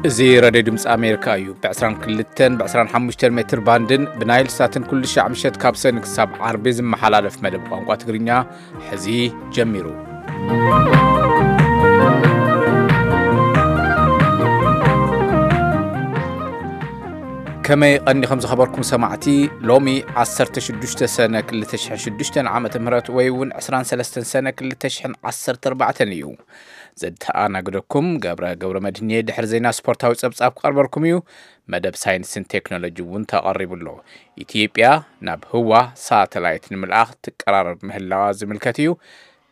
እዚ ሬድዮ ድምፂ ኣሜሪካ እዩ። ብ22 ብ25 ሜትር ባንድን ብናይል ሳትን ኩሉ ሻዕ ምሸት ካብ ሰኒ ክሳብ ዓርቢ ዝመሓላለፍ መደብ ቋንቋ ትግርኛ ሕዚ ጀሚሩ። ከመይ ቀኒኹም ዝኸበርኩም ሰማዕቲ? ሎሚ 16 ሰነ 2006 ዓመተ ምህረት ወይ እውን 23 ሰነ 2014 እዩ። ዘተኣናግደኩም ገብረ ገብረ መድህን እየ። ድሕሪ ዜና ስፖርታዊ ጸብጻብ ክቐርበልኩም እዩ። መደብ ሳይንስን ቴክኖሎጂ እውን ተቐሪቡ ኣሎ። ኢትዮጵያ ናብ ህዋ ሳተላይት ንምልኣኽ ትቀራረብ ምህላዋ ዝምልከት እዩ።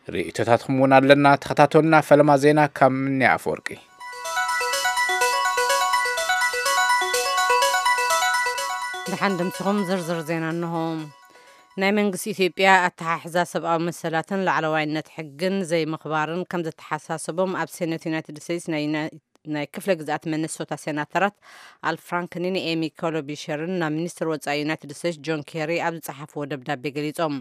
ርእይቶታትኩም እውን ኣለና። ተኸታተሉና። ፈለማ ዜና ካብ ምንያ ኣፈወርቂ። ደሓን ድምፅኹም ዝርዝር ዜና እንሆ። ናይ መንግስቲ ኢትዮጵያ ኣተሓሕዛ ሰብኣዊ መሰላትን ላዕለዋይነት ሕግን ዘይምኽባርን ከም ዘተሓሳሰቦም ኣብ ሴኔት ዩናይትድ ስቴትስ ናይ ዩናይ-፣ ናይ ክፍለ ግዝኣት ሚኒሶታ ሴናተራት ኣል ፍራንክኒን ኤሚ ኮሎቢሸርን ናብ ሚኒስትር ወጻኢ ዩናይትድ ስቴትስ ጆን ኬሪ ኣብ ዝጸሓፍዎ ደብዳቤ ገሊጾም።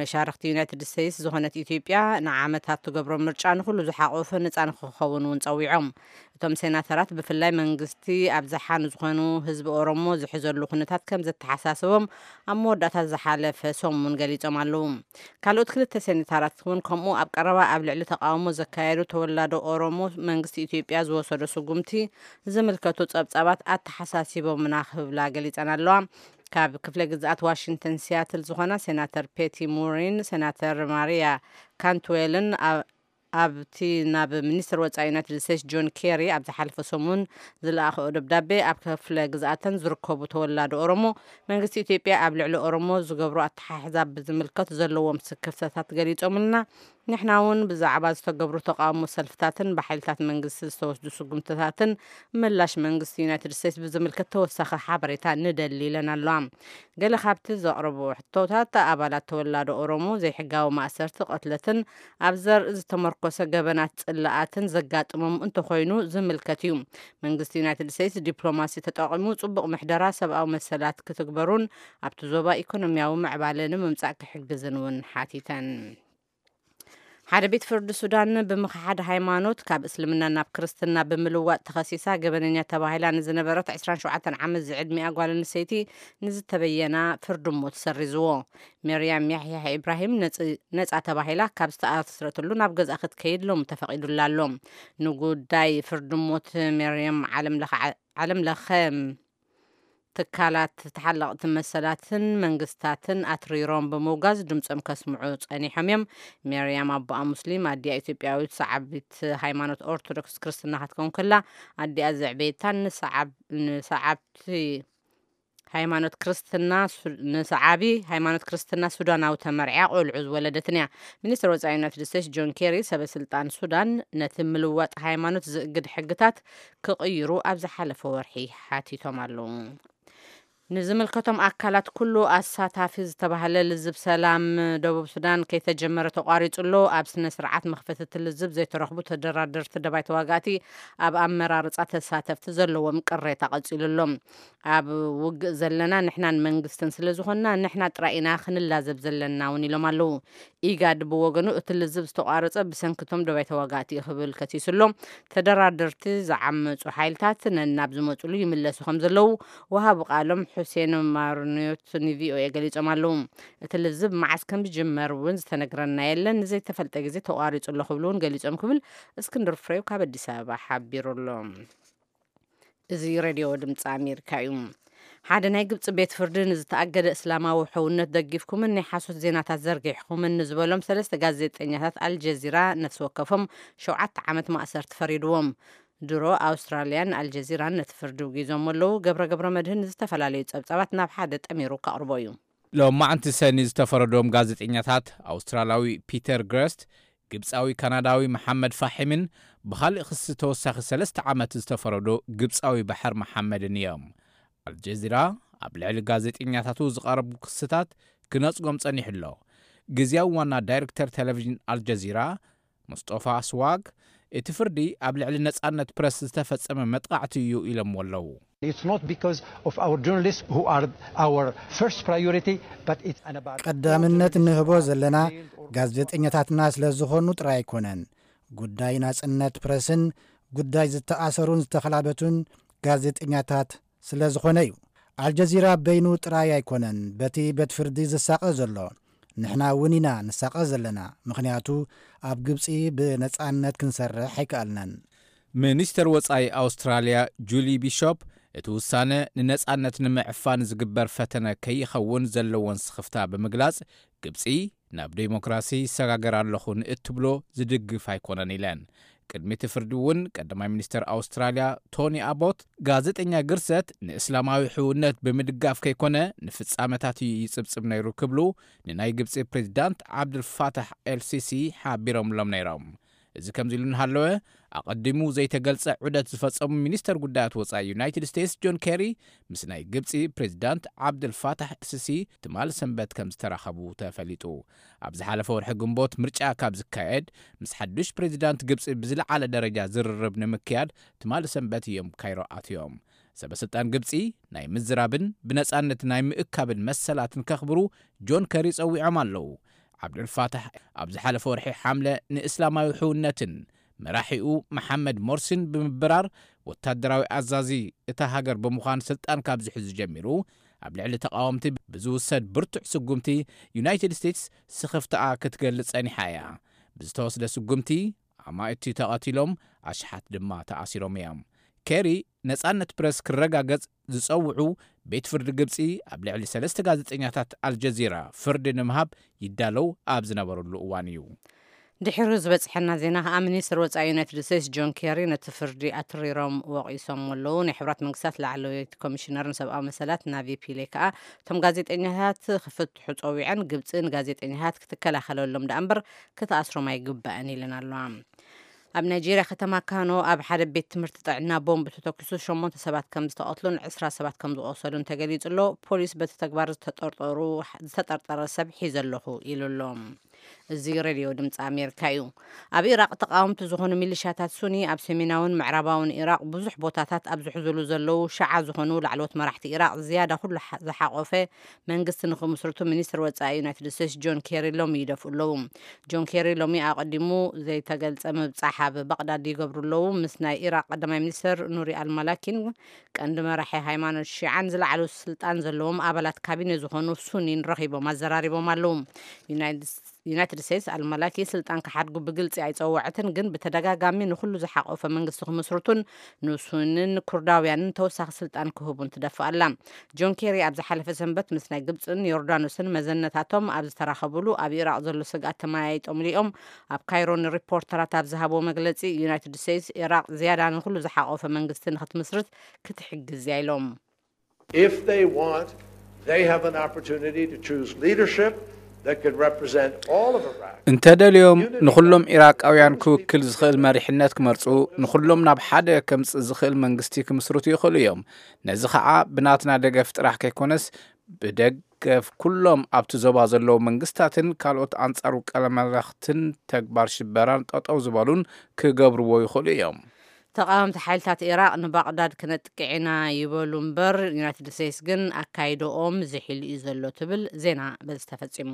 መሻርኽቲ ዩናይትድ ስቴትስ ዝኾነት ኢትዮጵያ ንዓመታት ትገብሮ ምርጫ ንኹሉ ዝሓቆፈ ነጻ ንክኸውን እውን ጸዊዖም። እቶም ሴናተራት ብፍላይ መንግስቲ ኣብዝሓ ንዝኾኑ ህዝቢ ኦሮሞ ዝሕዘሉ ኩነታት ከም ዘተሓሳስቦም ኣብ መወዳእታ ዝሓለፈ ሰሙን ገሊጾም ኣለዉ። ካልኦት ክልተ ሴናተራት እውን ከምኡ ኣብ ቀረባ ኣብ ልዕሊ ተቃውሞ ዘካየዱ ተወላዶ ኦሮሞ መንግስቲ ኢትዮጵያ ዝወሰዶ ስጉምቲ ዝምልከቱ ጸብጻባት ኣተሓሳሲቦምና ክብላ ገሊጸን ኣለዋ። ካብ ክፍለ ግዝኣት ዋሽንግተን ሲያትል ዝኾና ሴናተር ፔቲ ሙሪን ሴናተር ማሪያ ካንትዌልን ኣብ ኣብቲ ናብ ሚኒስትር ወጻኢ ዩናይትድ ስቴትስ ጆን ኬሪ ኣብ ዝሓለፈ ሰሙን ዝለኣኸኦ ደብዳቤ፣ ኣብ ክፍለ ግዝኣተን ዝርከቡ ተወላዶ ኦሮሞ መንግስቲ ኢትዮጵያ ኣብ ልዕሊ ኦሮሞ ዝገብሮ ኣተሓሕዛ ብዝምልከት ዘለዎም ስክፍታታት ገሊጾምልና፣ ንሕና እውን ብዛዕባ ዝተገብሩ ተቃውሞ ሰልፍታትን ብሓይልታት መንግስቲ ዝተወስዱ ስጉምትታትን ምላሽ መንግስቲ ዩናይትድ ስቴትስ ብዝምልከት ተወሳኺ ሓበሬታ ንደሊ ኢለን ኣለዋ። ገለ ካብቲ ዘቕረብዎ ሕቶታት፣ ኣባላት ተወላዶ ኦሮሞ ዘይሕጋዊ ማእሰርቲ፣ ቅትለትን ኣብ ዘርኢ ዝተመርኮሰ ገበናት ጽልኣትን ዘጋጥሞም እንተኾይኑ ዝምልከት እዩ። መንግስቲ ዩናይትድ ስቴትስ ዲፕሎማሲ ተጠቒሙ ጽቡቕ ምሕደራ ሰብኣዊ መሰላት ክትግበሩን ኣብቲ ዞባ ኢኮኖሚያዊ ምዕባለ ንምምጻእ ክሕግዝን እውን ሓቲተን። ሓደ ቤት ፍርዲ ሱዳን ብምኽሓድ ሃይማኖት ካብ እስልምና ናብ ክርስትና ብምልዋጥ ተኸሲሳ ገበነኛ ተባሂላ ንዝነበረት 27 ዓመት ዝዕድሚኣ ጓል ኣንስተይቲ ንዝተበየና ፍርዲ ሞት ሰሪዝዎ። መርያም ያሕያ ኢብራሂም ነጽ-፣ ነጻ ተባሂላ ካብ ዝተኣስረትሉ ናብ ገዝኣ ክትከይድ ሎሚ ተፈቒዱላ ኣሎ። ንጉዳይ ፍርዲ ሞት መርያም ዓለም ለኸ፣ ዓለም ለኸ ትካላት ተሓለቕቲ መሰላትን መንግስታትን ኣትሪሮም ብምውጋዝ ድምፆም ከስምዑ ጸኒሖም እዮም። ሜርያም ኣቦኣ ሙስሊም፣ ኣዲኣ ኢትዮጵያዊት ሰዓቢት ሃይማኖት ኦርቶዶክስ ክርስትና ክትከውን ከላ፣ ኣዲኣ ዘዕበየታን ንሰዓብ-፣ ንሰዓብቲ ሃይማኖት ክርስትና ሱ-፣ ንሰዓቢ ሃይማኖት ክርስትና ሱዳናዊ ተመርዕያ ቆልዑ ዝወለደትን እያ። ሚኒስትር ወጻኢ ዩናይትድ ስቴትስ ጆን ኬሪ፣ ሰበ ስልጣን ሱዳን ነቲ ምልዋጥ ሃይማኖት ዝእግድ ሕግታት ክቕይሩ ኣብ ዝሓለፈ ወርሒ ሓቲቶም ኣለዉ። ንዝምልከቶም ኣካላት ኩሉ ኣሳታፊ ዝተባህለ ልዝብ ሰላም ደቡብ ሱዳን ከይተጀመረ ተቋሪጹ ኣሎ። ኣብ ስነ ስርዓት መኽፈቲ እቲ ልዝብ ዘይተረኽቡ ተደራደርቲ ደባይ ተዋጋእቲ ኣብ ኣመራርጻ ተሳተፍቲ ዘለዎም ቅሬታ ቀጺሉ ኣሎ። ኣብ ውግእ ዘለና ንሕናን መንግስትን ስለ ዝኾንና ንሕና ጥራይ ኢና ክንላዘብ ዘለና እውን ኢሎም ኣለዉ። ኢጋድ ብወገኑ እቲ ልዝብ ዝተቋረጸ ብሰንክቶም ደባይ ተዋጋእቲ እዩ ክብል ከሲሱ ኣሎ። ተደራደርቲ ዝዓመጹ ሓይልታት ነናብ ዝመጹሉ ይምለሱ ከም ዘለዉ ወሃቢ ቃሎም ሑሴን ማርኒዮት ንቪኦኤ ገሊጾም ኣለዉ። እቲ ልዝብ መዓስ ከም ዝጅመር እውን ዝተነግረና የለን፣ ንዘይተፈልጠ ግዜ ተቋሪጹ ኣሎ ክብሉ እውን ገሊጾም ክብል እስክንድር ፍሬው ካብ ኣዲስ ኣበባ ሓቢሩ ኣሎ። እዚ ሬድዮ ድምፂ ኣሜሪካ እዩ። ሓደ ናይ ግብፂ ቤት ፍርዲ ንዝተኣገደ እስላማዊ ሕውነት ደጊፍኩምን ናይ ሓሶት ዜናታት ዘርጊሕኩምን ንዝበሎም ሰለስተ ጋዜጠኛታት ኣልጀዚራ ነፍሲ ወከፎም ሸውዓተ ዓመት ማእሰርቲ ፈሪድዎም። ድሮ ኣውስትራልያን ኣልጀዚራን ነቲ ፍርዲ ውጊዞም ኣለዉ። ገብረ ገብረ መድህን ዝተፈላለዩ ጸብጻባት ናብ ሓደ ጠሚሩ ከቕርቦ እዩ። ሎማዕንቲ ሰኒ ዝተፈረዶም ጋዜጠኛታት ኣውስትራልያዊ ፒተር ግረስት፣ ግብጻዊ ካናዳዊ መሓመድ ፋሒምን ብኻልእ ክሲ ተወሳኺ ሰለስተ ዓመት ዝተፈረዶ ግብጻዊ ባሕር መሓመድን እዮም። ኣልጀዚራ ኣብ ልዕሊ ጋዜጠኛታቱ ዝቐረቡ ክስታት ክነጽጎም ጸኒሑ ኣሎ። ግዝያዊ ዋና ዳይረክተር ቴሌቪዥን ኣልጀዚራ ሙስጦፋ ኣስዋግ፣ እቲ ፍርዲ ኣብ ልዕሊ ነጻነት ፕረስ ዝተፈጸመ መጥቓዕቲ እዩ ኢሎምዎ ኣለዉ። It's not because of our journalists who are our first priority, but it's an about ቀዳምነት እንህቦ ዘለና ጋዜጠኛታትና ስለ ዝኾኑ ጥራይ ኣይኮነን። ጉዳይ ናጽነት ፕረስን ጉዳይ ዝተኣሰሩን ዝተኸላበቱን ጋዜጠኛታት ስለ ዝኾነ እዩ። ኣልጀዚራ በይኑ ጥራይ ኣይኮነን በቲ ቤት ፍርዲ ዝሳቐ ዘሎ። ንሕና እውን ኢና ንሳቐ ዘለና፣ ምኽንያቱ ኣብ ግብጺ ብነጻነት ክንሰርሕ ኣይከኣልናን። ሚኒስተር ወጻኢ ኣውስትራልያ ጁሊ ቢሾፕ፣ እቲ ውሳነ ንነጻነት ንምዕፋን ዝግበር ፈተነ ከይኸውን ዘለዎን ስኽፍታ ብምግላጽ፣ ግብጺ ናብ ዴሞክራሲ ይሰጋገር ኣለኹ ንእትብሎ ዝድግፍ ኣይኮነን ኢለን። ቅድሚ እቲ ፍርዲ እውን ቀዳማይ ሚኒስተር ኣውስትራልያ ቶኒ ኣቦት፣ ጋዜጠኛ ግርሰት ንእስላማዊ ሕውነት ብምድጋፍ ከይኮነ ንፍጻመታት እዩ ይጽብጽብ ነይሩ ክብሉ ንናይ ግብጺ ፕሬዚዳንት ዓብድልፋታሕ ኤልሲሲ ሓቢሮምሎም ነይሮም። እዚ ከምዚ ኢሉ እንሃለወ፣ ኣቐዲሙ ዘይተገልጸ ዑደት ዝፈጸሙ ሚኒስተር ጉዳያት ወጻኢ ዩናይትድ ስቴትስ ጆን ኬሪ ምስ ናይ ግብጺ ፕሬዚዳንት ዓብድልፋታሕ ኤልሲሲ ትማል ሰንበት ከም ዝተራኸቡ ተፈሊጡ። ኣብ ዝሓለፈ ወርሒ ግንቦት ምርጫ ካብ ዝካየድ፣ ምስ ሓዱሽ ፕሬዚዳንት ግብጺ ብዝለዓለ ደረጃ ዝርርብ ንምክያድ ትማል ሰንበት እዮም ካይሮ ኣትዮም። ሰበ ስልጣን ግብጺ ናይ ምዝራብን ብነጻነት ናይ ምእካብን መሰላትን ከኽብሩ ጆን ከሪ ጸዊዖም ኣለዉ። ዓብዱልፋታሕ ኣብ ዝሓለፈ ወርሒ ሓምለ ንእስላማዊ ሕውነትን መራሒኡ መሓመድ ሞርሲን ብምብራር፣ ወታደራዊ ኣዛዚ እታ ሃገር ብምዃን ስልጣን ካብ ዝሕዙ ጀሚሩ፣ ኣብ ልዕሊ ተቓወምቲ ብዝውሰድ ብርቱዕ ስጉምቲ ዩናይትድ ስቴትስ ስኽፍታኣ ክትገልጽ ጸኒሓ እያ። ብዝተወስደ ስጉምቲ ኣማእቲ ተቐቲሎም፣ ኣሽሓት ድማ ተኣሲሮም እዮም። ኬሪ ነጻነት ፕረስ ክረጋገጽ ዝጸውዑ፣ ቤት ፍርዲ ግብጺ ኣብ ልዕሊ ሰለስተ ጋዜጠኛታት ኣልጀዚራ ፍርዲ ንምሃብ ይዳለው ኣብ ዝነበረሉ እዋን እዩ። ድሕሪ ዝበጽሐና ዜና ከኣ፣ ሚኒስትር ወጻኢ ዩናይትድ ስቴትስ ጆን ኬሪ ነቲ ፍርዲ ኣትሪሮም ወቒሶም ኣለዉ። ናይ ሕብራት መንግስታት ላዕለወይቲ ኮሚሽነር ንሰብኣዊ መሰላት ናቪ ፒሌ ከኣ፣ እቶም ጋዜጠኛታት ክፍትሑ ጸዊዐን፣ ግብጺ ንጋዜጠኛታት ክትከላኸለሎም ደኣ እምበር ክትኣስሮም ኣይግባእን ኢለን ኣለዋ። ኣብ ናይጄርያ ከተማ ካኖ ኣብ ሓደ ቤት ትምህርቲ ጥዕና ቦምብ ተተኪሱ ሸሞንተ ሰባት ከም ዝተቐትሉን ዕስራ ሰባት ከም ዝቖሰሉን ተገሊጹ ኣሎ። ፖሊስ በቲ ተግባር ዝተጠርጠሩ፣ ዝተጠርጠረ ሰብ ሒዘ ኣለኹ ኢሉ ኣሎ። እዚ ሬድዮ ድምፂ ኣሜሪካ እዩ። ኣብ ኢራቕ ተቃወምቲ ዝኾኑ ሚሊሻታት ሱኒ ኣብ ሰሜናውን ምዕራባውን ኢራቕ ብዙሕ ቦታታት ኣብ ዝሕዝሉ ዘለዉ ሸዓ ዝኾኑ ላዕለዎት መራሕቲ ኢራቕ ዝያዳ ኩሉ ሓ-፣ ዝሓቆፈ መንግስቲ ንኽምስርቱ ሚኒስትር ወጻኢ ዩናይትድ ስቴትስ ጆን ኬሪ ሎሚ ይደፍኡ ኣለዉ። ጆን ኬሪ ሎሚ ኣቐዲሙ ዘይተገልጸ ምብጻሕ ኣብ ባቕዳድ ይገብሩ ኣለዉ። ምስ ናይ ኢራቕ ቀዳማይ ሚኒስትር ኑሪ ኣልማላኪን ቀንዲ መራሒ ሃይማኖት ሺዓን ዝለዓሉ ስልጣን ዘለዎም ኣባላት ካቢነ ዝኾኑ ሱኒን ረኺቦም ኣዘራሪቦም ኣለዉ። ዩናይትድ ዩናይትድ ስቴትስ ኣልማላኪ ስልጣን ክሓድጉ ብግልጺ ኣይጸወዐትን፣ ግን ብተደጋጋሚ ንኹሉ ዝሓቆፈ መንግስቲ ክምስርቱን ንሱንን ኩርዳውያንን ተወሳኺ ስልጣን ክህቡን ትደፍእ ኣላ። ጆን ኬሪ ኣብ ዝሓለፈ ሰንበት ምስ ናይ ግብጽን ዮርዳኖስን መዘነታቶም ኣብ ዝተራኸቡሉ፣ ኣብ ኢራቕ ዘሎ ስግኣት ተመያይጦምሉ እዮም። ኣብ ካይሮ ንሪፖርተራት ኣብ ዝሃብዎ መግለጺ፣ ዩናይትድ ስቴትስ ኢራቕ ዝያዳ ንኹሉ ዝሓቆፈ መንግስቲ ንክትምስርት ክትሕግዝ እያ ኢሎም። If they want, they have an opportunity to choose leadership that could represent all of Iraq. እንተደልዮም፣ ንኹሎም ኢራቃውያን ክውክል ዝኽእል መሪሕነት ክመርጹ፣ ንኹሎም ናብ ሓደ ከምጽእ ዝኽእል መንግስቲ ክምስርቱ ይኽእሉ እዮም። ነዚ ኸዓ ብናትና ደገፍ ጥራሕ ከይኮነስ፣ ብደገፍ ኩሎም ኣብቲ ዞባ ዘለዉ መንግስታትን ካልኦት ኣንጻር ውቀለ መለኽትን ተግባር ሽበራን ጠጠው ዝበሉን ክገብርዎ ይኽእሉ እዮም። ተቓወምቲ ሓይልታት ኢራቕ ንባቕዳድ ክነጥቅዕ ኢና ይበሉ እምበር፣ ዩናይትድ ስቴትስ ግን ኣካይደኦም ዝሒሉ እዩ ዘሎ ትብል። ዜና በዚ ተፈጺሙ።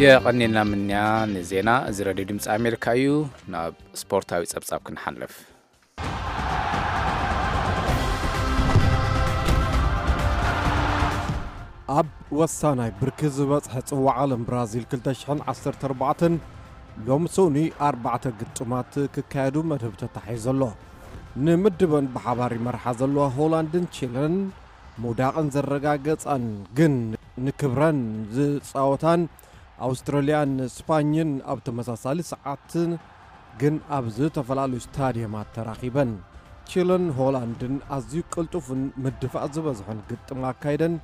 የቐኒልና ምንያ ንዜና። እዚ ሬድዮ ድምፂ ኣሜሪካ እዩ። ናብ ስፖርታዊ ጸብጻብ ክንሓልፍ። ኣብ ወሳናይ ብርኪ ዝበጽሐ ጽዋዕ ዓለም ብራዚል ክልተ ሽሕን ዓሰርተ ኣርባዕተን ሎም ሰኑይ ኣርባዕተ ግጥማት ክካየዱ መደብ ተታሒዙ ኣሎ። ንምድበን ብሓባር ይመርሓ ዘለዋ ሆላንድን ቺለን ምውዳቕን ዘረጋገጻን ግን ንክብረን ዝጻወታን ኣውስትራልያን ስፓኝን ኣብ ተመሳሳሊ ሰዓት ግን ኣብ ዝተፈላለዩ ስታድየማት ተራኺበን። ቺለን ሆላንድን ኣዝዩ ቅልጡፍን ምድፋእ ዝበዝሖን ግጥም ኣካይደን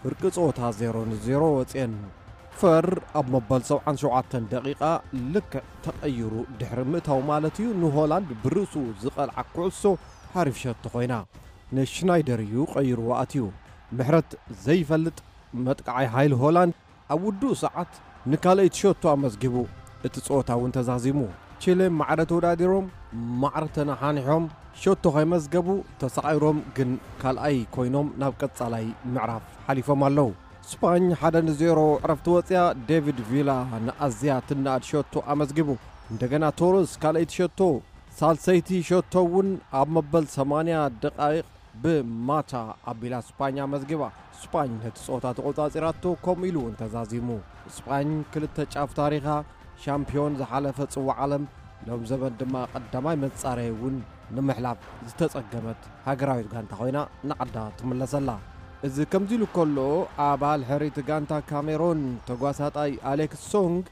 ፍርቂ ጸወታ ዜሮ ንዜሮ ወጽየን። ፈር ኣብ መበል ሰብዓን ሸውዓተን ደቂቓ ልክዕ ተቐይሩ ድሕሪ ምእታው ማለት እዩ፣ ንሆላንድ ብርእሱ ዝቐልዓ ኩዕሶ ሓሪፍ ሸቶ ኮይና ንሽናይደር እዩ ቀይርዋ ኣትዩ። ምሕረት ዘይፈልጥ መጥቃዓይ ሓይሊ ሆላንድ ኣብ ውዱእ ሰዓት ንካልኣይቲ ሸቶ ኣመዝጊቡ። እቲ ጸወታ እውን ተዛዚሙ። ቺለ ማዕረ ተወዳዲሮም፣ ማዕረ ተነሓኒሖም፣ ሸቶ ከይመዝገቡ ተሳቒሮም ግን ካልኣይ ኮይኖም ናብ ቀጻላይ ምዕራፍ ሓሊፎም ኣለዉ። ስፓኝ ሓደ ንዜሮ ዕረፍቲ ወፅያ። ዴቪድ ቪላ ንኣዝያ ትናኣድ ሸቶ ኣመዝጊቡ። እንደገና ቶረስ ካልኣይቲ ሸቶ፣ ሳልሰይቲ ሸቶ እውን ኣብ መበል ሰማንያ ደቃይቕ ብማታ ኣቢላ ስፓኝ ኣመዝጊባ። ስፓኝ ነቲ ጸወታ ተቖጻጺራቶ፣ ከምኡ ኢሉ እውን ተዛዚሙ። ስፓኝ ክልተ ጫፍ ታሪኻ፣ ሻምፒዮን ዝሓለፈ ጽዋዕ ዓለም፣ ሎም ዘበን ድማ ቀዳማይ መጻረይ እውን ንምሕላፍ ዝተጸገመት ሃገራዊት ጋንታ ኮይና ንዓዳ ትምለሰላ። እዚ ከምዚ ኢሉ ከሎ፣ ኣባል ሕሪት ጋንታ ካሜሮን ተጓሳጣይ ኣሌክስ ሶንግ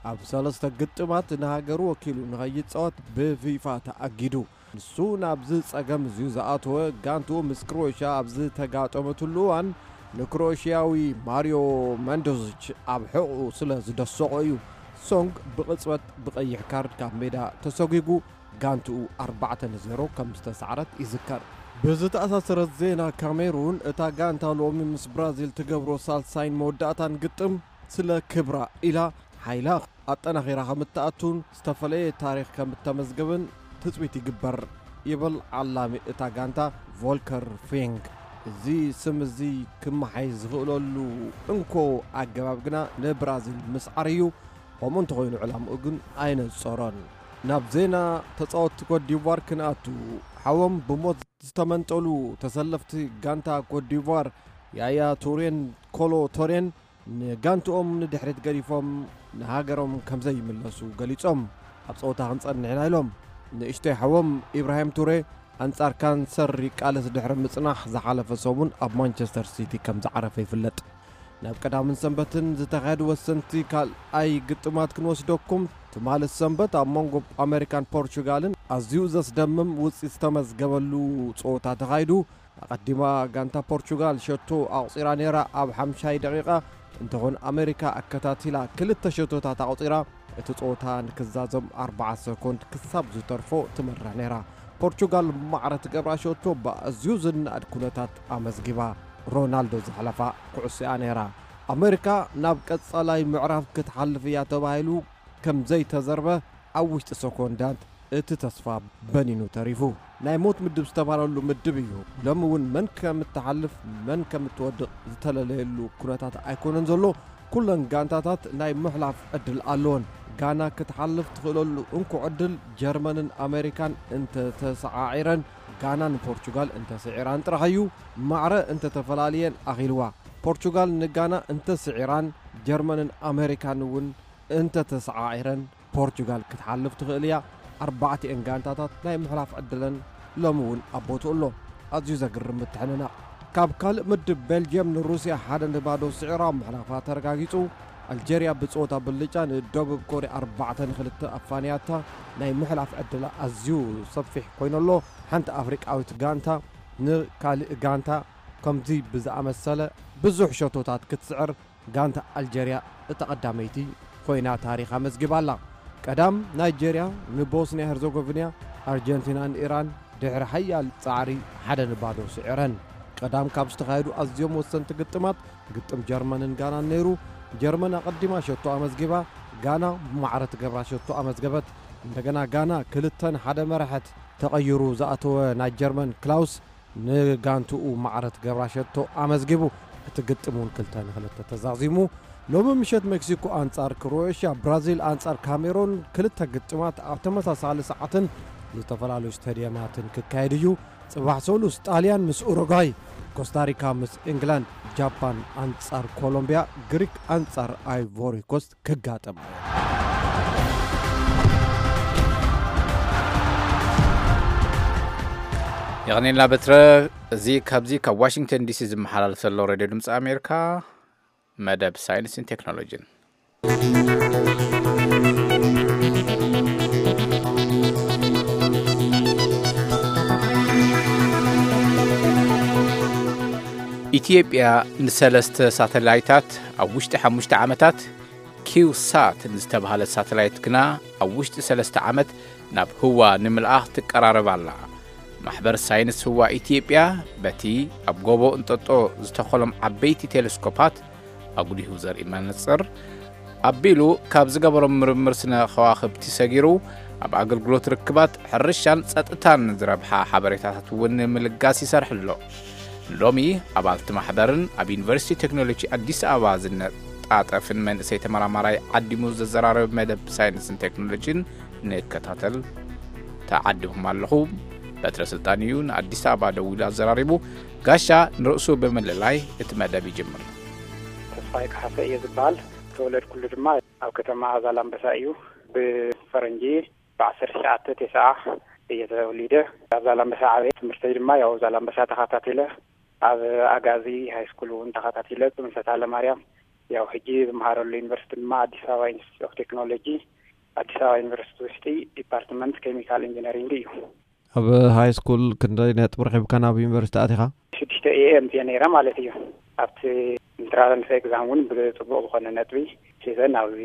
ኣብ ሰለስተ ግጥማት ንሃገሩ ወኪሉ ንኸይጻወት ብፊፋ ተኣጊዱ። ንሱ ናብዚ ጸገም እዚዩ ዝኣተወ፣ ጋንትኡ ምስ ክሮኤሽያ ኣብ ዝተጋጠመትሉ እዋን ንክሮኤሽያዊ ማሪዮ መንዶዚች ኣብ ሕቑኡ ስለ ዝደሰቖ እዩ። ሶንግ ብቕጽበት ብቐይሕ ካርድ ካብ ሜዳ ተሰጒጉ፣ ጋንትኡ ኣርባዕተ ንዜሮ ከም ዝተሳዕረት ይዝከር። ብዝተኣሳሰረት ዜና ካሜሩን፣ እታ ጋንታ ሎሚ ምስ ብራዚል ትገብሮ ሳልሳይን መወዳእታን ግጥም ስለ ክብራ ኢላ ሓይላ ኣጠናኺራ ከም እትኣቱን ዝተፈለየ ታሪኽ ከም እተመዝግብን ትጽቢት ይግበር፣ ይብል ዓላሚ እታ ጋንታ ቮልከር ፊንግ። እዚ ስም እዚ ክመሓየሽ ዝኽእለሉ እንኮ ኣገባብ ግና ንብራዚል ምስዓር እዩ። ከምኡ እንተኾይኑ ዕላምኡ ግን ኣይነጸሮን። ናብ ዜና ተጻወትቲ ኮትዲቯር ክንኣቱ፣ ሓዎም ብሞት ዝተመንጠሉ ተሰለፍቲ ጋንታ ኮትዲቯር ያያ ቱሬን ኮሎ ቶሬን ንጋንትኦም ንድሕሪት ገዲፎም ንሃገሮም ከም ዘይምለሱ ገሊጾም። ኣብ ጸወታ ክንጸንሕ ኢና ኢሎም። ንእሽቶይ ሓዎም ኢብራሂም ቱሬ ኣንጻር ካንሰር ይቃለስ ድሕሪ ምጽናሕ ዝሓለፈ ሰሙን ኣብ ማንቸስተር ሲቲ ከም ዝዓረፈ ይፍለጥ። ናብ ቀዳምን ሰንበትን ዝተኻየዱ ወሰንቲ ካልኣይ ግጥማት ክንወስደኩም። ትማሊ ሰንበት ኣብ መንጎ ኣሜሪካን ፖርቹጋልን ኣዝዩ ዘስደምም ውጽኢት ዝተመዝገበሉ ጸወታ ተኻይዱ። ኣቐዲማ ጋንታ ፖርቹጋል ሸቶ ኣቑጺራ ነይራ። ኣብ ሓምሻይ ደቂቓ እንተኾነ ኣሜሪካ ኣከታቲላ ክልተ ሸቶታት ኣቑጺራ። እቲ ጸወታ ንክዛዘም ኣርባዓ ሰኮንድ ክሳብ ዝተርፎ ትመርሕ ነይራ። ፖርቹጋል ማዕረ ትገብራ ሸቶ ብኣዝዩ ዝነኣድ ኩነታት ኣመዝጊባ። ሮናልዶ ዘሕለፋ ኩዕሶ እያ ነይራ። ኣሜሪካ ናብ ቀጻላይ ምዕራፍ ክትሓልፍ እያ ተባሂሉ ከም ዘይተዘርበ ኣብ ውሽጢ ሰኮንዳት እቲ ተስፋ በኒኑ ተሪፉ። ናይ ሞት ምድብ ዝተባህለሉ ምድብ እዩ። ሎሚ እውን መን ከም እትሓልፍ መን ከም እትወድቕ ዝተለለየሉ ኩነታት ኣይኮነን ዘሎ። ኩለን ጋንታታት ናይ ምሕላፍ ዕድል ኣለወን። ጋና ክትሓልፍ ትኽእለሉ እንኮ ዕድል ጀርመንን ኣሜሪካን እንተተሰዓዒረን፣ ጋናን ፖርቹጋል እንተስዒራን ጥራሕ እዩ። ማዕረ እንተተፈላልየን ኣኺልዋ። ፖርቹጋል ንጋና እንተስዒራን፣ ጀርመንን ኣሜሪካን እውን እንተተሰዓዒረን፣ ፖርቹጋል ክትሓልፍ ትኽእል እያ። ኣርባዕቲኤን ጋንታታት ናይ ምሕላፍ ዕድለን ሎሚ እውን ኣብ ቦትኡ ኣሎ። ኣዝዩ ዘግርም ምትሕንናቕ። ካብ ካልእ ምድብ፣ ቤልጅየም ንሩስያ ሓደ ንባዶ ስዒራ ምሕላፋ ተረጋጊጹ። ኣልጀርያ ብጸወታ ብልጫ ንደቡብ ኮርያ ኣርባዕተ ንኽልተ ኣፋንያታ። ናይ ምሕላፍ ዕድላ ኣዝዩ ሰፊሕ ኮይኑ'ሎ። ሓንቲ ኣፍሪቃዊት ጋንታ ንካልእ ጋንታ ከምዚ ብዝኣመሰለ ብዙሕ ሸቶታት ክትስዕር ጋንታ ኣልጀርያ እታ ቀዳመይቲ ኮይና ታሪኻ መዝጊባ ኣላ። ቀዳም ናይጀርያ ንቦስንያ ሄርዞጎቪና፣ ኣርጀንቲና ንኢራን ድሕሪ ሓያል ጻዕሪ ሓደ ንባዶ ስዒረን። ቀዳም ካብ ዝተኻየዱ ኣዝዮም ወሰንቲ ግጥማት፣ ግጥም ጀርመንን ጋናን ነይሩ። ጀርመን ኣቐዲማ ሸቶ ኣመዝጊባ፣ ጋና ብማዕረ ትገብራ ሸቶ ኣመዝገበት። እንደገና ጋና ክልተ ንሓደ መራሐት። ተቐይሩ ዝኣተወ ናይ ጀርመን ክላውስ ንጋንትኡ ማዕረ ትገብራ ሸቶ ኣመዝጊቡ። እቲ ግጥም እውን ክልተ ንክልተ ተዛዚሙ። ሎሚ ምሸት ሜክሲኮ ኣንጻር ክሮኤሽያ፣ ብራዚል ኣንጻር ካሜሮን፣ ክልተ ግጥማት ኣብ ተመሳሳሊ ሰዓትን ዝተፈላለዩ ስታድየማትን ክካየድ እዩ። ጽባሕ ሰሉስ ጣልያን ምስ ኡሩጓይ፣ ኮስታሪካ ምስ ኢንግላንድ፣ ጃፓን ኣንጻር ኮሎምቢያ፣ ግሪክ ኣንጻር ኣይቮሪ ኮስት ክጋጠም። የቐኔልና በትረ። እዚ ካብዚ ካብ ዋሽንግተን ዲሲ ዝመሓላለፍ ዘሎ ሬድዮ ድምፂ ኣሜሪካ መደብ ሳይንስን ቴክኖሎጂን። ኢትዮጵያ ንሰለስተ ሳተላይታት ኣብ ውሽጢ ሓሙሽተ ዓመታት፣ ኪውሳት ንዝተባህለ ሳተላይት ግና ኣብ ውሽጢ ሰለስተ ዓመት ናብ ህዋ ንምልኣኽ ትቀራረብ ኣላ። ማሕበር ሳይንስ ህዋ ኢትዮጵያ በቲ ኣብ ጎቦ እንጠጦ ዝተኸሎም ዓበይቲ ቴሌስኮፓት ኣጉሊሁ ዘርኢ መነጽር ኣቢሉ ካብ ዝገበሮም ምርምር ስነ ከዋኽብቲ ሰጊሩ ኣብ ኣገልግሎት ርክባት ሕርሻን ጸጥታን ዝረብሓ ሓበሬታታት እውን ንምልጋስ ይሰርሕ ኣሎ። ሎሚ ኣባልቲ ማሕበርን ኣብ ዩኒቨርሲቲ ቴክኖሎጂ ኣዲስ ኣበባ ዝነጣጠፍን መንእሰይ ተመራማራይ ዓዲሙ ዘዘራረብ መደብ ሳይንስን ቴክኖሎጂን ንከታተል ተዓዲኹም ኣለኹ። በትረ ስልጣን እዩ ንኣዲስ ኣበባ ደዊሉ ኣዘራሪቡ። ጋሻ ንርእሱ ብምልላይ እቲ መደብ ይጅምር። ተስፋይ ካሕሰ እየ ዝበሃል። ተወለድኩሉ ድማ ኣብ ከተማ ዛላምበሳ እዩ። ብፈረንጂ ብዓሰርተ ትሽዓተ ተስዓ እየ ተወሊደ። ኣብ ዛላምበሳ ዓበየ። ትምህርተይ ድማ ያው ዛላምበሳ ተኸታቲለ፣ ኣብ ኣጋዚ ሃይስኩል እውን ተኸታቲለ። ምስ ኣታ ለማርያም ያው ሕጂ ዝመሃረሉ ዩኒቨርሲቲ ድማ ኣዲስ ኣበባ ኢንስቲትዩት ኦፍ ቴክኖሎጂ፣ ኣዲስ ኣበባ ዩኒቨርሲቲ ውሽጢ ዲፓርትመንት ኬሚካል ኢንጂነሪንግ እዩ። ኣብ ሃይ ስኩል ክንደይ ነጥቢ ረኺብካ ናብ ዩኒቨርሲቲ ኣቲኻ? ሽዱሽተ ኤ ኤም እየ ነይረ ማለት እዩ። ኣብቲ ኢንትራንስ ኤግዛም እውን ብፅቡቕ ዝኾነ ነጥቢ ሒዘ ናብዚ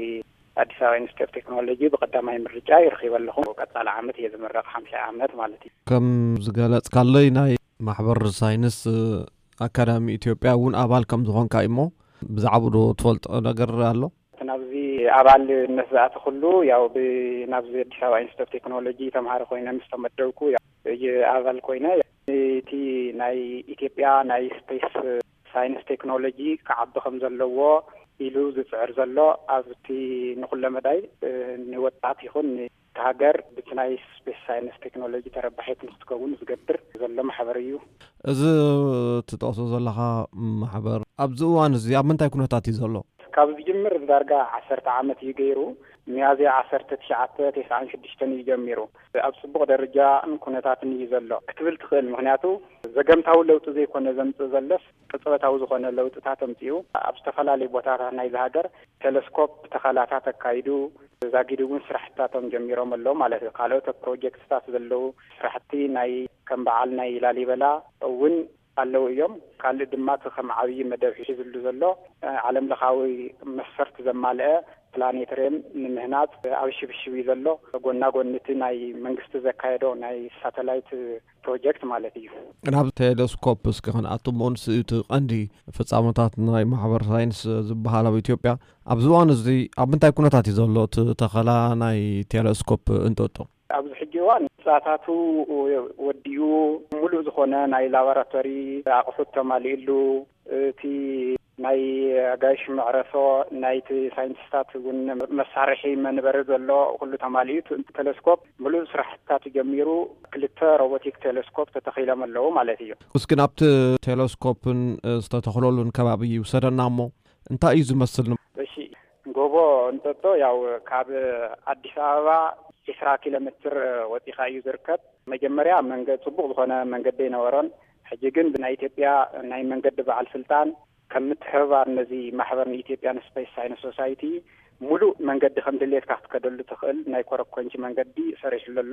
ኣዲስ ኣበባ ኢንስቲትዩት ኦፍ ቴክኖሎጂ ብቀዳማይ ምርጫ ይረኺበ ኣለኹ። ቀፃሊ ዓመት እየ ዝምረቕ፣ ሓምሻይ ዓመት ማለት እዩ። ከም ዝገለፅካለይ ናይ ማሕበር ሳይንስ ኣካዳሚ ኢትዮጵያ እውን ኣባል ከም ዝኾንካ እዩ እሞ ብዛዕባኡ ዶ ትፈልጦ ነገር ኣሎ? እቲ ናብዚ ኣባልነት ዝኣተኹሉ ያው ብ-፣ ናብዚ ኣዲስ ኣበባ ኢንስቲትዩት ኦፍ ቴክኖሎጂ ተምሃሪ ኮይነ ምስ ተመደብኩ ያው እየ ኣባል ኮይነ። እቲ ናይ ኢትዮጵያ ናይ ስፔስ ሳይንስ ቴክኖሎጂ ክዓቢ ከም ዘለዎ ኢሉ ዝፅዕር ዘሎ ኣብቲ ንኹለ መዳይ፣ እ፣ ንወጣት ይኹን ንሃገር ብቲ ናይ ስፔስ ሳይንስ ቴክኖሎጂ ተረባሒት ንክትከውን ዝገብር ዘሎ ማሕበር እዩ። እዚ ትጠቕሶ ዘለኻ ማሕበር ኣብዚ እዋን እዚ ኣብ ምንታይ ኩነታት እዩ ዘሎ? ካብ ዝጅምር ዳርጋ ዓሰርተ ዓመት እዩ ገይሩ። ሚያዝያ ዓሰርተ ትሽዓተ ተስዓን ሽዱሽተን እዩ ጀሚሩ። ኣብ ጽቡቕ ደረጃን ኩነታትን እዩ ዘሎ ክትብል ትኽእል። ምኽንያቱ ዘገምታዊ ለውጢ ዘይኮነ ዘምጽእ ዘሎስ ቅጽበታዊ ዝኾነ ለውጥታት ኣምጺኡ። ኣብ ዝተፈላለዩ ቦታታት ናይዚ ሃገር ቴሌስኮፕ ተኸላታት ኣካይዱ፣ ዛጊድ እውን ስራሕትታቶም ጀሚሮም ኣለዉ ማለት እዩ። ካልኦት ፕሮጀክትታት ዘለዉ ስራሕቲ ናይ ከም በዓል ናይ ላሊበላ እውን ኣለዉ እዮም። ካልእ ድማ እቲ ከም ዓብዪ መደብ ሒዝሉ ዘሎ፣ እ፣ ዓለም ለኻዊ መስፈርት ዘማልአ ፕላኔተርየም ንምህናጽ ኣብ ሽብሽብ እዩ ዘሎ። ጎና ጎኒ እቲ ናይ መንግስቲ ዘካየዶ ናይ ሳተላይት ፕሮጀክት ማለት እዩ። ናብ ቴሌስኮፕ እስኪ ክንኣቱ እሞ፣ ንሱ እቲ ቀንዲ ፍጻመታት ናይ ማሕበር ሳይንስ ዝበሃል ኣብ ኢትዮጵያ ኣብዚ እዋን እዚ ኣብ ምንታይ ኩነታት እዩ ዘሎ እቲ ተኸላ ናይ ቴሌስኮፕ እንጦጦ? ኣብዚ ሕጂ እዋን ህንፃታቱ ወዲኡ፣ ሙሉእ ዝኾነ ናይ ላቦራቶሪ ኣቑሑት ተማሊእሉ፣ እቲ ናይ ኣጋይሽ መዕረፎ፣ ናይቲ ሳይንቲስታት እውን መሳርሒ መንበሪ ዘሎ ኩሉ ተማሊኡ፣ እቲ ቴሌስኮፕ ሙሉእ ስራሕትታቱ ጀሚሩ፣ ክልተ ሮቦቲክ ቴሌስኮፕ ተተኺሎም ኣለዉ ማለት እዩ። እስኪ ናብቲ ቴሌስኮፕን ዝተተኽለሉን ከባቢ ይውሰደና እሞ፣ እንታይ እዩ ዝመስል? እሺ፣ ጎቦ እንጦጦ ያው ካብ ኣዲስ ኣበባ ዒስራ ኪሎ ሜትር ወፂኻ እዩ ዝርከብ። መጀመርያ መንገ-፣ ፅቡቕ ዝኾነ መንገዲ ኣይነበሮን። ሕጂ ግን ብናይ ኢትዮጵያ ናይ መንገዲ በዓል ስልጣን ከም ምትሕብባር ነዚ ማሕበር ንኢትዮጵያን ስፔስ ሳይንስ ሶሳይቲ ሙሉእ መንገዲ ከም ድሌትካ ክትከደሉ ትኽእል ናይ ኮረኮንቺ መንገዲ ሰሪሕሉ ኣሎ።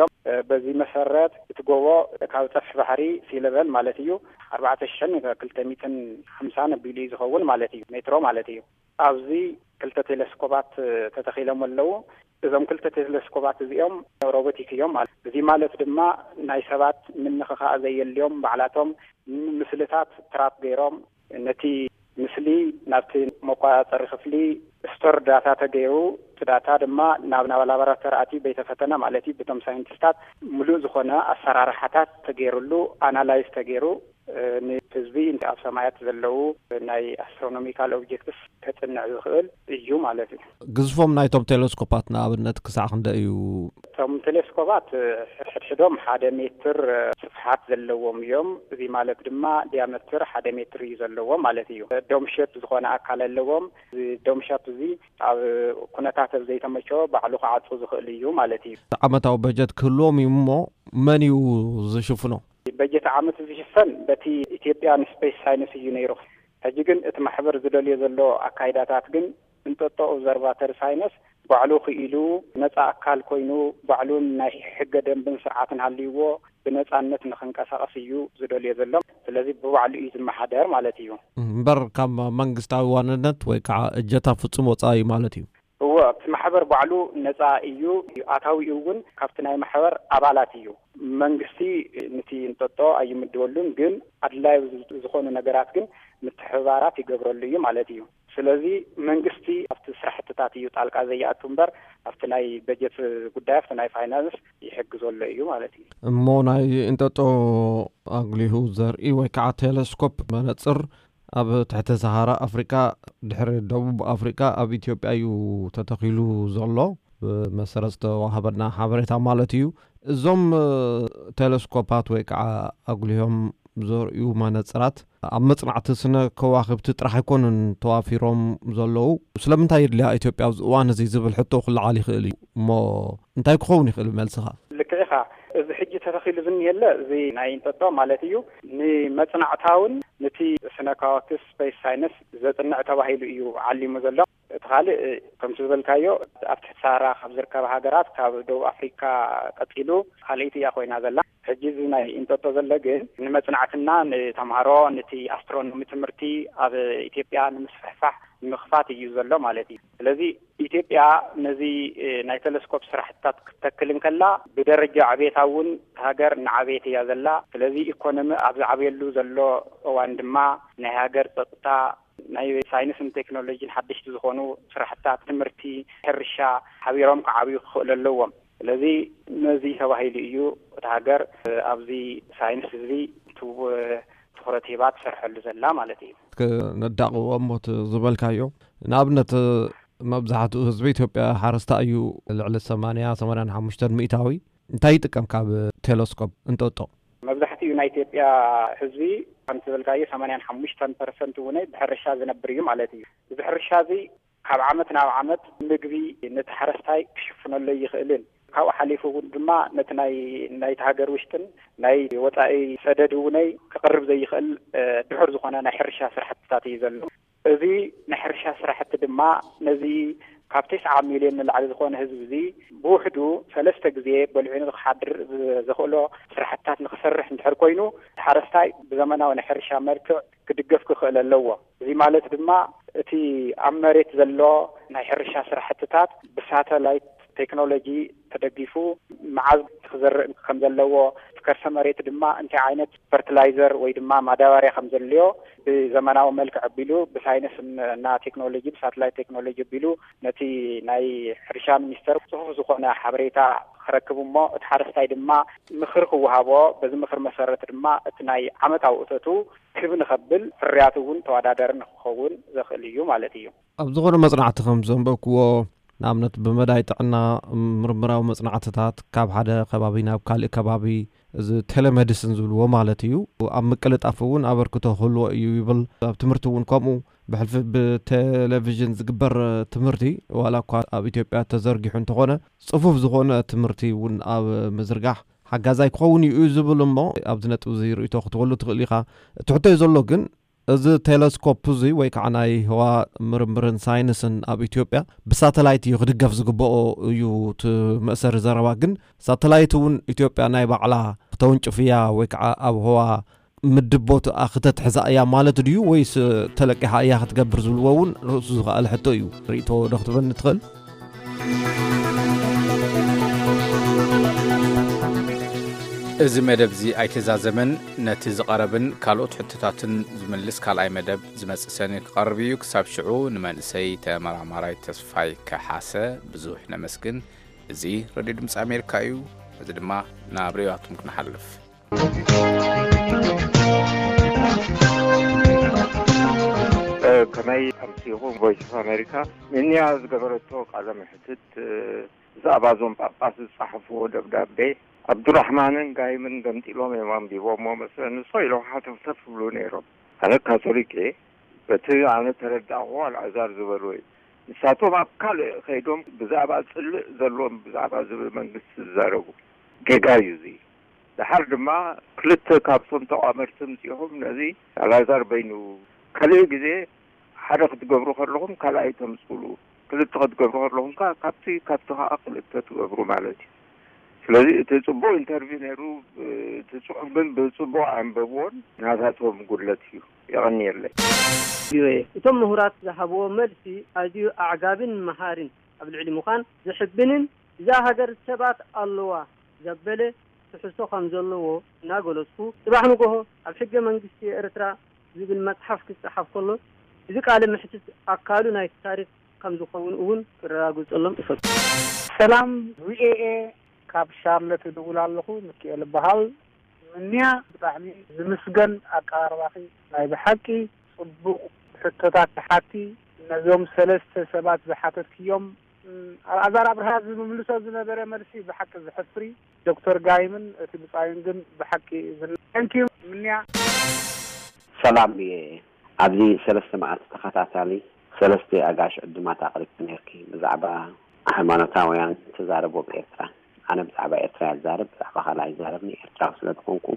በዚ መሰረት እቲ ጎቦ ካብ ፀፍሒ ባሕሪ ሲ ለቨል ማለት እዩ ኣርባዕተ ሽሕን ክልተ ሚእትን ሓምሳን ኣቢሉ እዩ ዝኸውን ማለት እዩ፣ ሜትሮ ማለት እዩ። ኣብዚ ክልተ ቴሌስኮፓት ተተኺሎም ኣለዉ። እዞም ክልተ ቴሌስኮፓት እዚኦም ሮቦቲክ እዮም ማለት። እዚ ማለት ድማ ናይ ሰባት ምንኽኻእ ዘየልዮም ባዕላቶም ምስልታት ትራፕ ገይሮም ነቲ ምስሊ ናብቲ መቆጻጸሪ ክፍሊ ስቶር ዳታ ተገይሩ፣ እቲ ዳታ ድማ ናብ፣ ናብ ላቦራቶሪ ኣትዩ ቤተ ፈተነ ማለት እዩ፣ ብቶም ሳይንቲስታት ምሉእ ዝኾነ ኣሰራርሓታት ተገይሩሉ፣ ኣናላይዝ ተገይሩ፣ እ፣ ንህዝቢ ኣብ ሰማያት ዘለዉ ናይ ኣስትሮኖሚካል ኦብጀክትስ ከጽንዕ ዝኽእል እዩ ማለት እዩ። ግዝፎም ናይቶም ቴሌስኮፓት ንኣብነት ክሳዕ ክንደይ እዩ? እቶም ቴሌስኮፓት፣ እ፣ ሕድሕዶም ሓደ ሜትር፣ እ፣ ስፍሓት ዘለዎም እዮም። እዚ ማለት ድማ ዲያሜትር ሓደ ሜትር እዩ ዘለዎም ማለት እዩ። ዶም ሼፕ ዝኾነ ኣካል ኣለዎም። እዚ ዶም ሼፕ እዚ ኣብ ኩነታት ኣብ ዘይተመቸወ ባዕሉ ክዓጹ ዝኽእል እዩ ማለት እዩ። ዓመታዊ በጀት ክህልዎም እዩ እሞ መን እዩ ዝሽፍኖ? በጀት ዓመት ዝሽፈን በቲ ኢትዮጵያን ስፔስ ሳይንስ እዩ ነይሩ። ሕጂ ግን እቲ ማሕበር ዝደልዮ ዘሎ ኣካይዳታት ግን እንጦጦ ኦብዘርቫተሪ ሳይንስ ባዕሉ ክኢሉ ነፃ ኣካል ኮይኑ ባዕሉን ናይ ሕገ ደንብን ስርዓትን ሃልይዎ ብነፃነት ንክንቀሳቐስ እዩ ዝደልዮ ዘሎ። ስለዚ ብባዕሉ እዩ ዝመሓደር ማለት እዩ። እምበር ካብ መንግስታዊ ዋንነት ወይ ከዓ እጀታ ፍጹም ወፃኢ ማለት እዩ። እወ፣ እቲ ማሕበር ባዕሉ ነፃ እዩ። ኣታዊኡ እውን ካብቲ ናይ ማሕበር ኣባላት እዩ። መንግስቲ ነቲ እንጦጦ ኣይምድበሉን፣ ግን ኣድላዩ ዝኾኑ ነገራት ግን ምትሕብባራት ይገብረሉ እዩ ማለት እዩ። ስለዚ መንግስቲ ኣብቲ ስራሕትታት እዩ ጣልቃ ዘይኣቱ እምበር፣ ኣብቲ ናይ በጀት ጉዳይ፣ ኣብቲ ናይ ፋይናንስ ይሕግዞ ኣሎ እዩ ማለት እዩ። እሞ ናይ እንጠጦ ኣጉሊሁ ዘርኢ ወይ ከዓ ቴሌስኮፕ መነፅር ኣብ ትሕቲ ሰሃራ ኣፍሪቃ፣ ድሕሪ ደቡብ ኣፍሪቃ፣ ኣብ ኢትዮጵያ እዩ ተተኺሉ ዘሎ፣ ብመሰረት ዝተዋሃበና ሓበሬታ ማለት እዩ። እዞም ቴሌስኮፓት ወይ ከዓ ኣጉሊሆም ዘርእዩ መነፅራት ኣብ መጽናዕቲ ስነ ከዋኽብቲ ጥራሕ ኣይኮኑን ተዋፊሮም ዘለዉ። ስለምንታይ የድልያ ኢትዮጵያ ኣብዚ እዋን እዚ ዝብል ሕቶ ክለዓል ይኽእል እዩ። እሞ እንታይ ክኸውን ይኽእል መልስኻ? ልክዕ ኢኻ። እዚ ሕጂ ተተኺሉ ዝኒሀለ፣ እዚ ናይ እንጠጦ ማለት እዩ፣ ንመጽናዕታውን ንቲ ስነ ከዋክብቲ፣ ስፔስ ሳይንስ፣ ዘጽንዕ ተባሂሉ እዩ ዓሊሙ ዘሎ። እቲ ካልእ፣ ከምቲ ዝበልካዮ፣ ኣብ ትሕቲ ሳራ ካብ ዝርከባ ሃገራት፣ ካብ ደቡብ ኣፍሪካ ቀጺሉ ካልኣይቲ እያ ኮይና ዘላ። ሕጂ እዚ ናይ እንጠጦ ዘሎ ግን ንመጽናዕትና፣ ንተምሃሮ፣ ነቲ ኣስትሮኖሚ ትምህርቲ ኣብ ኢትዮጵያ ንምስፍሕፋሕ፣ ንምኽፋት እዩ ዘሎ ማለት እዩ። ስለዚ ኢትዮጵያ ነዚ፣ እ፣ ናይ ቴሌስኮፕ ስራሕትታት ክትተክል እንከላ፣ ብደረጃ ዕቤታ እውን ሃገር እናዓበየት እያ ዘላ። ስለዚ ኢኮኖሚ ኣብ ዝዓብየሉ ዘሎ እዋን ድማ፣ ናይ ሃገር ጸጥታ፣ ናይ ሳይንስን ቴክኖሎጂን ሓደሽቲ ዝኾኑ ስራሕትታት፣ ትምህርቲ፣ ሕርሻ ሓቢሮም ክዓብዩ ክኽእሉ ኣለዎም። ስለዚ ነዚ ተባሂሉ እዩ እታ ሃገር፣ እ፣ ኣብዚ ሳይንስ እዚ ቱ-፣ ትኹረት ሂባ ትሰርሐሉ ዘላ ማለት እዩ። ክነዳቕዎ እሞ እቲ ዝበልካዮ፣ ንኣብነት፣ መብዛሕትኡ ህዝቢ ኢትዮጵያ ሓረስታይ እዩ። ልዕሊ ሰማንያ፣ ሰማንያን ሓሙሽተን ሚእታዊ እንታይ ይጥቀም ካብ ቴሌስኮፕ እንጠጦ? መብዛሕትኡ ናይ ኢትዮጵያ ህዝቢ፣ ከምቲ ዝበልካዮ፣ ሰማንያን ሓሙሽተን ፐርሰንት እውን ብሕርሻ ዝነብር እዩ ማለት እዩ። እዚ ሕርሻ እዚ ካብ ዓመት ናብ ዓመት ምግቢ ነቲ ሓረስታይ ክሽፍነሉ ኣይኽእልን። ካብኡ ሓሊፉ እውን ድማ ነቲ ናይ፣ ናይቲ ሃገር ውሽጥን ናይ ወጻኢ ሰደድ እውነይ ክቕርብ ዘይኽእል፣ እ፣ ድሑር ዝኾነ ናይ ሕርሻ ስራሕትታት እዩ ዘሎ። እዚ ናይ ሕርሻ ስራሕቲ ድማ ነዚ ካብ ተስዓ ሚልዮን ንላዕሊ ዝኾነ ህዝቢ እዚ ብውሕዱ ሰለስተ ግዜ በሊዑ ንክሓድር ዝ-፣ ዘኽእሎ ስራሕትታት ንክሰርሕ እንድሕር ኮይኑ፣ እቲ ሓረስታይ ብዘመናዊ ናይ ሕርሻ መልክዕ ክድገፍ ክኽእል ኣለዎ። እዚ ማለት ድማ እቲ ኣብ መሬት ዘሎ ናይ ሕርሻ ስራሕትታት ብሳተላይት ቴክኖሎጂ ተደጊፉ መዓዝ ክዘርእ ከም ዘለዎ፣ እቲ ከርሰ መሬት ድማ እንታይ ዓይነት ፈርቲላይዘር ወይ ድማ ማዳበርያ ከም ዘድልዮ ብዘመናዊ መልክዕ ኣቢሉ፣ ብሳይንስ እና ቴክኖሎጂ፣ ብሳተላይት ቴክኖሎጂ ኣቢሉ ነቲ ናይ ሕርሻ ሚኒስተር ጽሑፍ ዝኾነ ሓበሬታ ክረክብ እሞ፣ እቲ ሓረስታይ ድማ ምኽሪ ክወሃቦ፣ በዚ ምኽሪ መሰረት ድማ እቲ ናይ ዓመታዊ እቶቱ ክብ ንኸብል፣ ፍርያቱ እውን ተወዳዳሪ ንክኸውን ዘኽእል እዩ ማለት እዩ። ኣብ ዝኾነ መጽናዕቲ ከም ዘንበብክዎ፣ ንኣብነት ብመዳይ ጥዕና ምርምራዊ መጽናዕትታት ካብ ሓደ ከባቢ ናብ ካልእ ከባቢ፣ እዚ ቴሌሜዲስን ዝብልዎ ማለት እዩ፣ ኣብ ምቅልጣፍ እውን ኣበርክቶ ክህልዎ እዩ ይብል። ኣብ ትምህርቲ እውን ከምኡ፣ ብሕልፊ ብቴሌቪዥን ዝግበር ትምህርቲ፣ ዋላ እኳ ኣብ ኢትዮጵያ ተዘርጊሑ እንተኾነ፣ ጽፉፍ ዝኾነ ትምህርቲ እውን ኣብ ምዝርጋሕ ሓጋዛይ ክኸውን እዩ ዝብል እሞ፣ ኣብዚ ነጥቢ እዚ ርእይቶ ክትህበሉ ትኽእል ኢኻ። እቲ ሕቶይ ዘሎ ግን፣ እዚ ቴለስኮፕ እዚ ወይ ከዓ ናይ ህዋ ምርምርን ሳይንስን ኣብ ኢትዮጵያ ብሳተላይት እዩ ክድገፍ ዝግብኦ እዩ እቲ መእሰሪ ዘረባ። ግን ሳተላይት እውን ኢትዮጵያ ናይ ባዕላ ክተውንጭፍ እያ ወይ ከዓ ኣብ ህዋ ምድብ ቦትኣ ክተትሕዛ እያ ማለት ድዩ ወይስ ተለቂሓ እያ ክትገብር ዝብልዎ እውን ርእሱ ዝኸኣለ ሕቶ እዩ። ርእይቶ ዶ ክትበኒ ትኽእል? እዚ መደብ እዚ ኣይተዛዘመን። ነቲ ዝቐረብን ካልኦት ሕቶታትን ዝምልስ ካልኣይ መደብ ዝመጽእ ሰኒ ክቐርብ እዩ። ክሳብ ሽዑ ንመንእሰይ ተመራማራይ ተስፋይ ከሓሰ ብዙሕ ነመስግን። እዚ ሬድዮ ድምፂ ኣሜሪካ እዩ። እዚ ድማ ናብ ርእይቶታትኩም ክንሓልፍ። ከመይ ኣምሲኹም ቮይስ ኦፍ ኣሜሪካ? ንንያ ዝገበረቶ ቃለ መሕትት፣ ብዛዕባ እዞም ጳጳስ ዝጸሓፍዎ ደብዳቤ፣ ኣብዱራሕማንን ጋይምን ገምጢሎም እዮም ኣንቢቦምዎ መስለኒ። ንሶ ኢሎም ሓተፍተፍ ይብሉ ነይሮም። ኣነ ካቶሊክ እየ። በቲ ኣነ ተረዳእኹዎ ኣልዓዛር ዝበልዎ እዩ። ንሳቶም ኣብ ካልእ ከይዶም ብዛዕባ ጽልእ ዘለዎም ብዛዕባ ዝብል መንግስቲ ዝዛረቡ። ጌጋ እዩ እዚ። ደሓር ድማ ክልተ ካብቶም ተቋመርቲ ምጺኦም ነዚ ኣልዓዛር በይኑ ካልእ ግዜ ሓደ ክትገብሩ ከለኹም ካልኣይ ተምጽሉ፣ ክልተ ክትገብሩ ከለኹም ከኣ ካብቲ ካብቲ ከኣ ክልተ ትገብሩ ማለት እዩ። ስለዚ እቲ ጽቡቕ ኢንተርቪው ነይሩ፣ እቲ ጽሑፍ ግን ብጽቡቕ ኣንበብዎን ናታቶም ጉድለት እዩ። የቐንየለይ። ቪኦኤ እቶም ምሁራት ዝሃብዎ መልሲ ኣዝዩ ኣዕጋብን መሃርን ኣብ ልዕሊ ምዃን ዘሕብንን እዛ ሃገር ሰባት ኣለዋ ዘበለ ትሕዝቶ ከም ዘለዎ እናገለጽኩ፣ ጽባሕ ንጎሆ ኣብ ሕገ መንግስቲ ኤርትራ ዝብል መጽሓፍ ክጸሓፍ ከሎ እዚ ቃለ መሕትት ኣካሉ ናይቲ ታሪኽ ከም ዝኸውን እውን ክረጋግጸሎም እፈቱ። ሰላም ቪኦኤ፣ ካብ ሻርለት እድውል ኣለኹ። ሚኪኤል እበሃል። ምንያ፣ ብጣዕሚ ዝምስገን ኣቀራርባኺ። ናይ ብሓቂ ጽቡቕ ሕቶታት ትሓቲ። ነዞም ሰለስተ ሰባት ዝሓተትክዮም፣ እም፣ ኣልኣዛር ኣብርሃ ዝምልሶ ዝነበረ መልሲ ብሓቂ ዘሕፍር እዩ። ዶክተር ጋይምን እቲ ብጻዩን ግን ብሓቂ ዝን-፣ thank you ምንያ። ሰላም እየ። ኣብዚ ሰለስተ መዓልቲ ተኸታታሊ ሰለስተ ኣጋሽ ዕዱማት ኣቕሪብኪ ነይርኪ፣ ብዛዕባ ሃይማኖታውያን ትዛረቡ ኣብ ኤርትራ። ኣነ ብዛዕባ ኤርትራ እየ ዝዛረብ፣ ብዛዕባ ካልእ ኣይዛረብን፣ ኤርትራዊ ስለ ዝኾንኩ።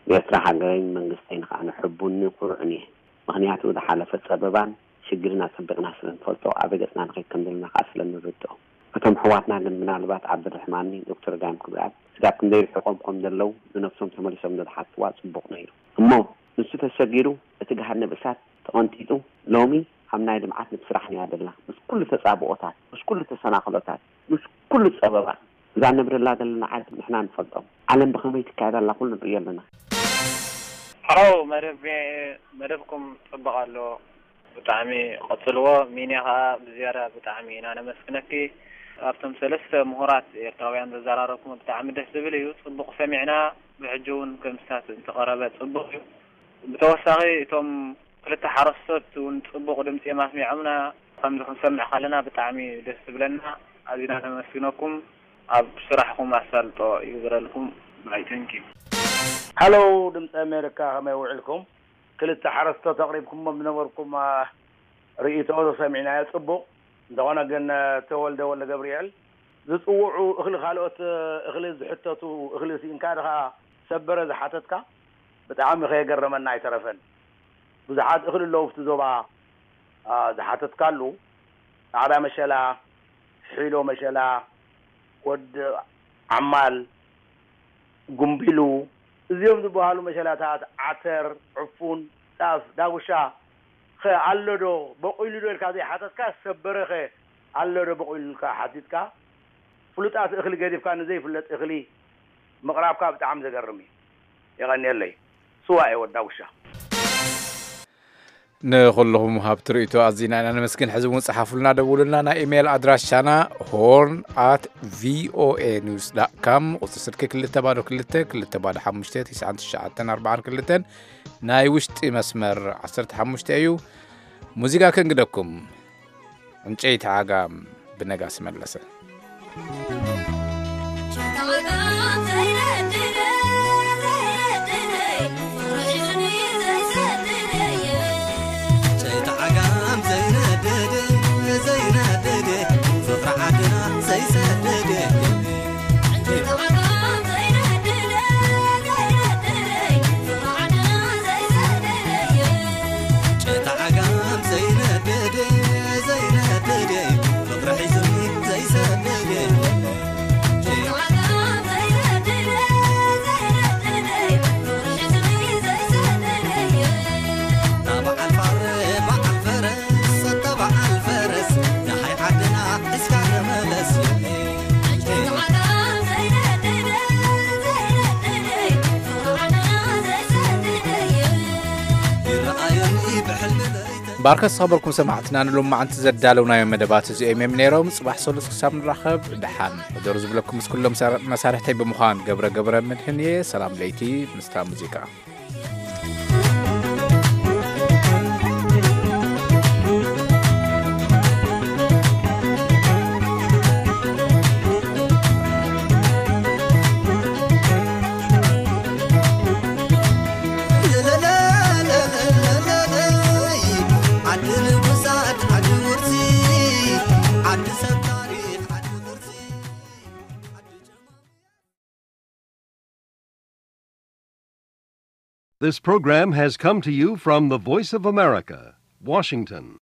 ብኤርትራ ሃገረይን መንግስተይን ከኣ ሕቡንን ኩሩዕን እየ። ምኽንያቱ ዝሓለፈ ጸበባን ሽግርን ኣጸቢቕና ስለ ንፈልጦ፣ ኣበይ ገጽና ንኸይድ ከም ዘለና ከኣ ስለ ንርድኦ። እቶም ኣሕዋትና ግን ምናልባት ዓብደልርሕማንን ዶክተር ጋይም ክብርኣብ ስጋብ ክንደይ ርሒቖም ከም ዘለዉ ንነብሶም ተመሊሶም እንተዝሓትዋ ጽቡቕ ነይሩ። እሞ ንሱ ተሰጊሩ እቲ ገሃነብ እሳት ተቐንጢጡ ሎሚ ኣብ ናይ ልምዓት ንብስራሕ እያ ደላ። ምስ ኩሉ ተጻብኦታት፣ ምስ ኩሉ ተሰናኽሎታት፣ ምስ ኩሉ ጸበባ እዛ ንነብረላ ዘለና ዓዲ ንሕና ንፈልጦም። ዓለም ብኸመይ ትካየድ ኣላ ኩሉ ንርእዮ ኣለና። ሓው መደብ፣ መደብኩም ጽቡቕ ኣሎ። ብጣዕሚ ቀጽልዎ። ሚንያ ኸኣ ብዝያዳ ብጣዕሚ ኢና ነመስግነኪ። ኣብቶም ሰለስተ ምሁራት ኤርትራውያን ዘዘራረብኩም ብጣዕሚ ደስ ዝብል እዩ። ጽቡቕ ሰሚዕና። ብሕጂ እውን ከምስታት እንተቐረበ ጽቡቕ እዩ። ብተወሳኺ እቶም ክልተ ሓረስቶት እውን ጽቡቕ ድምጺ እዮም ኣስሚዖምና። ከምዚ ክንሰምዕ ከለና ብጣዕሚ ደስ ዝብለና። ኣዚና ነመስግነኩም። ኣብ ስራሕኩም ኣሳልጦ ይግበረልኩም። ባይ፣ ተንኪ። ሃሎ፣ ድምፂ ኣሜሪካ፣ ከመይ ውዒልኩም? ክልተ ሓረስቶት ኣቕሪብኩሞም ዝነበርኩም፣ አ፣ ርእይቶ ሰሚዕናዮ፣ ጽቡቕ። እንተኾነ ግን፣ አ፣ ተወልደ ወልደ ገብርኤል ዝጽውዑ እኽሊ፣ ካልኦት፣ አ፣ እኽሊ ዝሕተቱ፣ እኽሊ ስኢንካ ድኻ ሰበረ ዝሓተትካ፣ ብጣዕሚ ከየገረመና ኣይተረፈን። ብዙሓት እኽሊ ኣለዉ ኣብቲ ዞባ፣ አ፣ ዝሓተትካሉ፣ ጻዕዳ መሸላ፣ ሒሎ መሸላ፣ ወዲ ዓማል፣ ጉምቢሉ፣ እዚኦም ዝበሃሉ መሸላታት፣ ዓተር፣ ዕፉን፣ ጣፍ፣ ዳጉሻ ኸ ኣሎ ዶ? በቑሉ ዶ ኢልካ ዘይሓተትካ፣ ሰበረ ኸ ኣሎ ዶ በቑሉ ኢልካ ሓቲትካ? ፍሉጣት እኽሊ ገዲፍካ ንዘይፍለጥ እኽሊ ምቕራብካ ብጣዕሚ ዘገርም እዩ። የቐንየለይ። ስዋ እየ፣ ወዲ ዳጉሻ። ንኹልኹም ሃብቲ ርእይቶ ኣዚና ኢና ነመስግን። ሕዚ እውን ጸሓፉልና፣ ደውሉልና። ናይ ኢሜይል ኣድራሻና ሆርን ኣት ቪኦኤ ኒውስ ዳት ካም፣ ቁጽሪ ስልኪ ክልተ ባዶ ክልተ፣ ክልተ ባዶ ሓሙሽተ፣ ትስዓን ትሽዓተን ኣርባዓን ክልተን፣ ናይ ውሽጢ መስመር ዓሰርተ ሓሙሽተ እዩ። ሙዚቃ ከንግደኩም። ዕንጨይቲ ዓጋም ብነጋሲ መለሰ። ባርከ ዝኸበርኩም ሰማዕትና፣ ንሎማዓንቲ ዘዳለውናዮ መደባት እዚኦም እዮም ነይሮም። ጽባሕ ሰሉስ ክሳብ ንራኸብ፣ ደሓን ሕደሩ ዝብለኩም ምስ ኩሎም መሳር-፣ መሳርሕተይ ብምዃን ገብረ ገብረ መድህን እየ። ሰላም ለይቲ ምስታ ሙዚቃ። This program has come to you from the Voice of America, Washington.